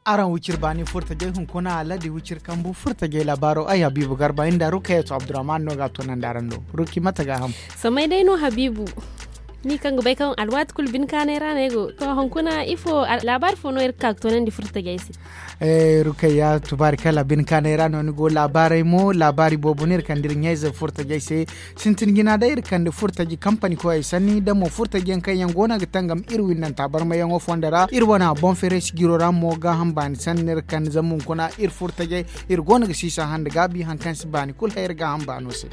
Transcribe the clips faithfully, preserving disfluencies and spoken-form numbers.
Araŋ wiciri baani furtajey hunkuna aladi wiciri kambu furtajey laabaaro ay habiibu garba inda rukayatu abdurrahman no ga a toonandi araŋ do. Ruki mate ga a ham? Samay day no habiibu. Ni kaŋ ga bay kaŋ alwaati kulu bine kaanay ra no ay go to hunkuna ifo laabaari fo no iri ga ka ga toonandi furtajey se? Rukayya tubaari kala bine kaanay ra no ni go laabaarey mo laabaari boobo no iri kande iri ɲayze furtajey se. Sintin jina day iri kande furtaji kampani koyey sanni da mo furtaji yaŋ kaŋ yaŋ go no ga tangam iri windanta barmayaŋo fondo ra iri wana boŋ feeray sijiro ra mo gaaham baani sanni no iri kande zama hunkuna iri furtajey iri go no ga siisa hande gaabi hari kaŋ si baani kulu hay iri gaaham baano se.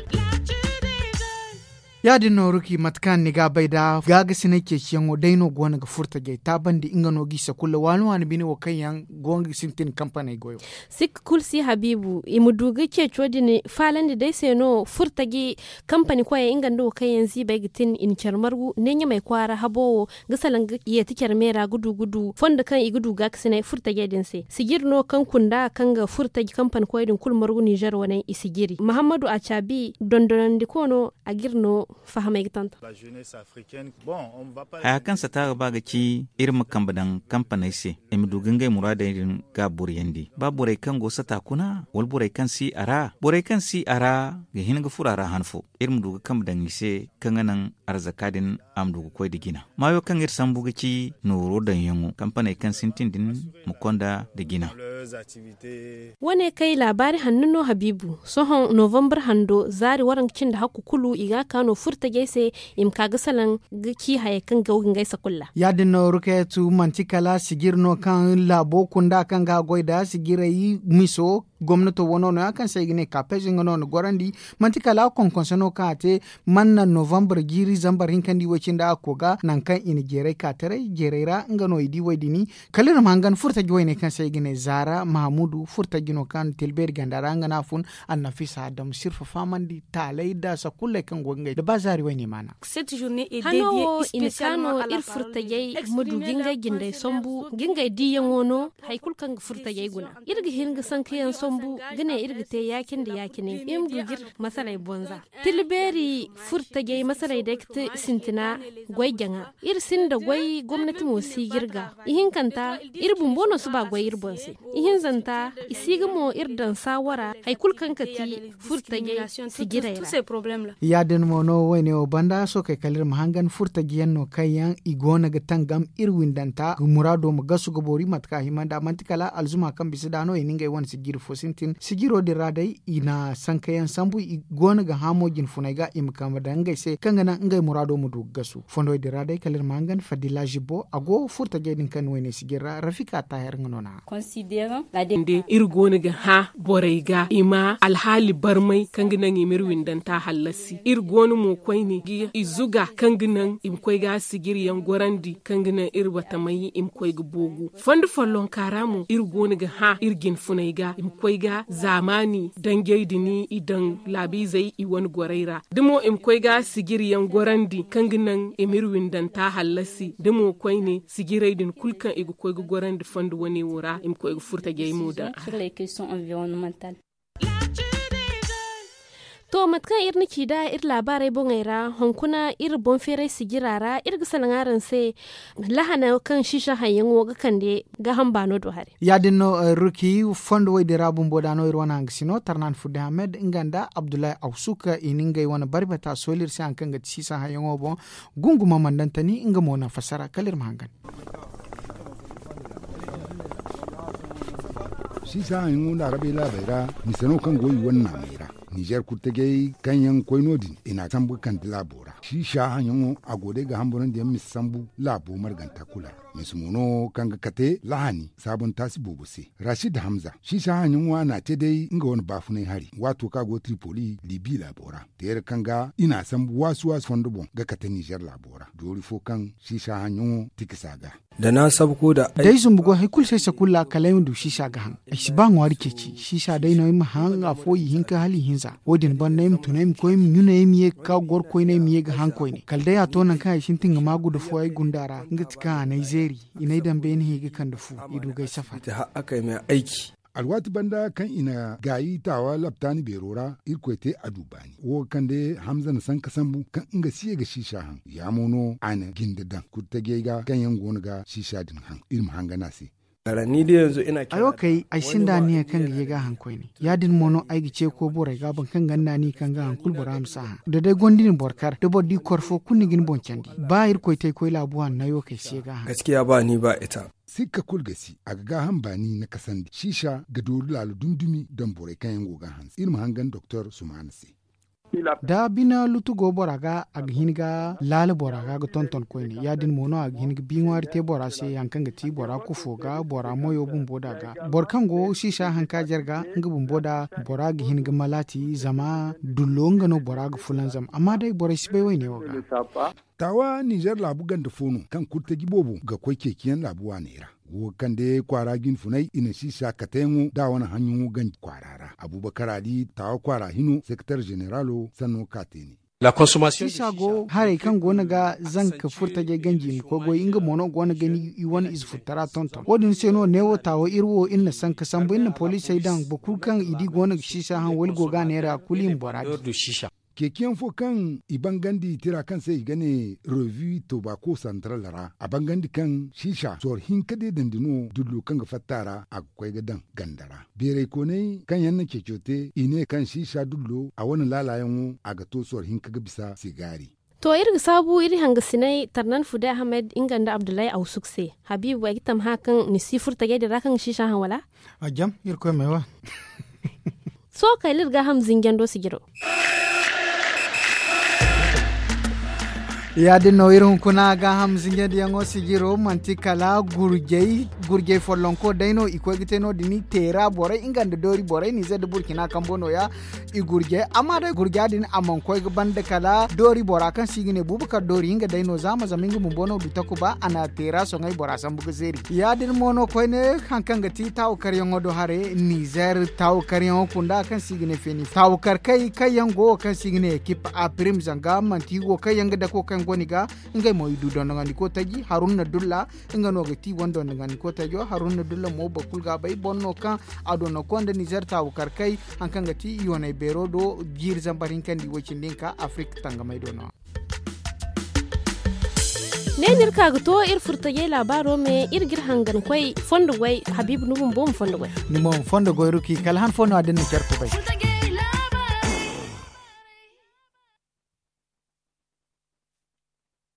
Ya- din nooru ki mate kaŋ ni ga a bay nd'a gaagasinay ceeciyaŋo day no go no ga furtajey taabandi nga no g'i sakulla waani waani bine wo kaŋ yaŋ go no ga sintin kampaney goyo. Sikka kulu si habiibu i ma du ga ceeco din faalandi day se no furtaji kampani koyey nga nda wo kaŋ yaŋ ziibey ga tin i na care margu ne ɲamey kwaara habo wo ga salaŋ ga yeeti care me ra ga du ga du fondo kaŋ i ga du gaakasinay furtajey din se sijiri no kaŋ kunda kaŋ ga furtaji kampani koyey din kulu margu ninzeer wane i sijiri mahammadu a caabi dondonandiko no a ga iri no fahamay ga tonton. Haya kaŋ sata ga ba ga ci iri ma kambe daŋ kampaney se i ma du ga ngey muraadey din gaaburiyandi ba borey kaŋ go sata kuna wala borey kaŋ si a ra borey kaŋ si a ra ga hin ga furo a ra han fo iri ma du ga kambe daŋ i se kaŋ ga naŋ arzaka din a ma du ga koy nda jina maayo kaŋ iri sambu ga ci nooro daŋyaŋo kampaney kaŋ sintin din ma konda nda jina. Wane kay laabaari hanno no habiibu sohõ novambar hando zaari waranka cindi hakku kulu i ga a ka no furtajey se i ma ka ga salaŋ ga ci hayey kaŋ go ga ngey sakulla. Ya- din no rukayatu manti kala sijiri no kaŋ laabo kunda kaŋ ga a goy nd'a sijirey miso gomnato wano no- ya kaŋ se ay ga ne kaapez nga no na gorandi manti kala konkonse no kaŋ a te man naŋ novambar jiiri zambar hinka nda i way cindi a ga koy ga nangu kaŋ i na jeeray ka taray jeeray ra nga no i di way- din kala iri ma hangan furtaji wayne kaŋ se ay ga ne zaara mahamudu furtaji no kaŋ tilbeeri ganda ra nga no a fun annafisa adam sirfa fahamandi taalay nda sakulley kaŋ go ga ngey nda ba zaari wayne maana. Hano wo i na ka no iri furtajey ma du ga ngey jindey sambu ga ngey diiyaŋo no hari kulu kaŋ ga furtajey guna iri ga hin ga sankayaŋ sambu ga ne iri ga te ya- cine nda ya- cine iri ma du ga iri masaley bonza tilbeeri furtajey masaley day ga te sintina goy jaŋa iri sinda goy gomnati mo si ga iri ga ihinkanta iri bumbo no si ba goy iri boŋ se ihinzanta i si ga mo iri daŋ saawara hari kulu kaŋ ga ti furtajey sijirey ra. Ya- din mo no wayne wo banda sookey kala iri ma hangan furtaji yaŋ no kaŋ yaŋ i go no ga tangam iri windanta muraado ma gasu ga boori mate kaŋ a hima nda manti kala alzuma kaŋ bisa da no i na ngey wane sijiri fo sintin sijiro din ra day i na sankayaŋ sambu i go no ga haamo jinfuney ga i ma kambe daŋ ngey se kaŋ ga naŋ ngey muraado ma du ga gasu fondowey din ra day kala iri ma hangan fadila zibo a go furtajey din kaŋ ni wayne sijiri ra rafika taaher nga no na a. Iri go no ga hã borey ga i ma alhaali barmay kaŋ ga naŋ i ma iri windanta hallasi iri go no mo koyne ga i zuga kaŋ ga naŋ i ma koy ga sijiri yaŋ gorandi kaŋ ga naŋ iri batamay i ma koy ga boogu fondo follonka ra mo iri go no ga hã iri jinfuney ga i ma koy ga zaamaani danjey din i daŋ laabiizey i wane gorey ra da mo i ma koy ga sijiri yaŋ gorandi kaŋ ga naŋ i ma iri windanta hallasi da mo koyne sijirey din kulu kaŋ i ga koy ga gorandi fondo wane wo ra i ma koy ga furtajey mo daŋ a ra. To mate kaŋ iri na ci nd'a iri laabaarey boŋey ra hunkuna iri boŋ feeray sijira ra iri ga salaŋ araŋ se lahana kaŋ siisa haŋyaŋo ga kande gaaham baano do haray. Ya- din no ruki fondo wey din ra bumbo da no iri wane hangasino tarnan fudde hamed nga nda abdullahi awsuk i na ngey wane barbata sooli iri se hari kaŋ ga ti siisa haŋyaŋo boŋ. Gunguma mandantani nga mo na fassara kala iri ma hangan. Siisa haŋyaŋo nda arabey laabey ra mise no kaŋ go i wane naamey ra. Nizer kurtajey kaŋ yaŋ koy no- din i n'a sambu ga kande laabo ra siisa haŋyaŋo a go day ga hamburandi yaŋ mise sambu laabo marganta kulu ra. Mise mo no kaŋ ga kate lahani saabuntaasi boobo se. Rashid hamza siisa haŋyaŋo a n'a te day nga wane baafunay hari waato kaŋ a go tripoli libi laabo ra teera kaŋ ga i n'a sambu waasu waasu fondo boŋ ga kate nizer laabo ra doori fo kaŋ siisa haŋyaŋo tikisa ga. Da na sabu ko da ay zumbu goy hari kulu se sakulla kala ay ma du siisa ga haŋ. Ay si ba ŋwaari ceeci siisa day no ay ma haŋ afo ihinka hala ihinza wo- din banda ay ma tun ay ma koy ay ma ɲuna ay ma ye ga ka goro koyne ay ma ye ga haŋ koyne kala day a to nangu kaŋ ay sintin ga ma guda fo ay gunda ra nga ti kaŋ a n'ay zeeri i n'ay daŋ beene hẽ ga kande fu i du ga ay safar. Alwaati banda kaŋ i na gaayi taawa laptaani beero ra irkoy te a du baani wo ga kande hamza na sanka sambu kaŋ nga si ye ga siisa haŋ ya mo no a na jinde daŋ kurtajey ga kaŋ yaŋ go no ga siisa din haŋ iri ma hangan a se. Ay wo kay ay sinda aniya kaŋ ga ye ga a haŋ koyne. Ya- din mo no ay ga ce koy borey ga boro kaŋ ganda ni kaŋ ga haŋ kulu bora ma si a haŋ da day gonda ni boro kar da boro di koro fo kulu ni ga ni boŋ candi. Ba irkoy te ay koy laabu hanno ay wo kay si ye ga a haŋ. Sikka kulu ga si a ga gaaham baani na kasandi siisa ga dooru laala dumi-dumi daŋ borey kaŋ yaŋ go ga a hanse iri ma hangan doktor sumaana se. Da bine lutu go bora ga a ga hin ga laala bora ga ga tonton koyne ya- din mo no a ga hin ga bi ŋwaari te bora se hari kaŋ ga ti bora kufo ga bora moyo bumbo da ga boro kaŋ go siisa hanka jare ga nga bumbo da bora ga hin ga malaati zama dullo nga no bora ga fulanzam amma day borey si bay wayne wo ga. Taawa ninzeer laabu ganda fo no kaŋ kurtaji boobo ga koy ceeciyaŋ laabu waaney ra. Wo ga kande kwaara jinfunay i na siisa kateyaŋo da a wane haŋyaŋo ganji kwaara ra abuubakar ali taawa kwaara hino seketar zeneraalo sanno ka te ne. Siisa go haray kaŋ go no ga zanka furtajey ganji i ma koy goy nga mo no go no ga ni i wane ize furtara tonton wo- din se no neewo taawo iri wo iri na sanka sambu iri na poliisey daŋ boro kulu kaŋ i di go no ga siisa haŋ wala i go ga a neera kulu i ma bora di. Ceeciyaŋ fo kaŋ i bangandi tira kaŋ se i ga ne revi tobako santral ra a bangandi kaŋ siisa sor hinka deedandi no dullo kaŋ ga fatta ra a ga koy ga daŋ ganda ra. Beeraykooney kaŋ yaŋ na ceeco te i ne kaŋ siisa dullo a wane laalayaŋo a ga to sor hinka ga bisa sigaari. To iri ga saabu iri hangasinay tarnan fude ahmed nga nda abdullahi awsuk se. Habiibu ay ga tamha kaŋ ni si furtajey din ra kaŋ ga siisa haŋ wala? A jam irkoy may wa. Sohõ kay liri gaaham zinjando sijiro. Ya- din no iri hunkuna gaaham zinjandiyaŋo sijiro manti kala gurjey gurjey follonko day no i koy ga te no- din teera borey nga nda doori borey nizer nda burcina kambo nooya. I gurjey amma day gurja din a mana koy ga banda kala doori bora kaŋ se i ga ne buubu kala doori nga day no zaama zama nga bumbo no du takuba a na teera soŋay bora sambu ga zeeri ya- din mo no koyne hari kaŋ ga ti taawu karyaŋo do haray nizer taawu karyaŋo kunda kaŋ se i ga ne feeni taawu karkey kaŋ yaŋ go wo kaŋ se i ga ne ekip a pirim zanga manti wo kaŋ yaŋ ga dako kaŋ go ni ga ngey mo i du dondonandi ko taji haruna dulla nga no ga ti wane dondonandi ko tajo haruna dulla mo boro kulu ga bay boro no kaŋ a dondon ko nda nizer taawu karkey hari kaŋ ga ti yoonay beero do jiiri zambar hinka nda i way cindi hinka afirika tangamay do no. Ne no iri ka ga to iri furtajey laabaaro me iri ga iri hangan koy fondo goy habiibu ni bumbo ma fondo goy. Ni mo ma fondo goy ruki kala han fo no a din na care kubay.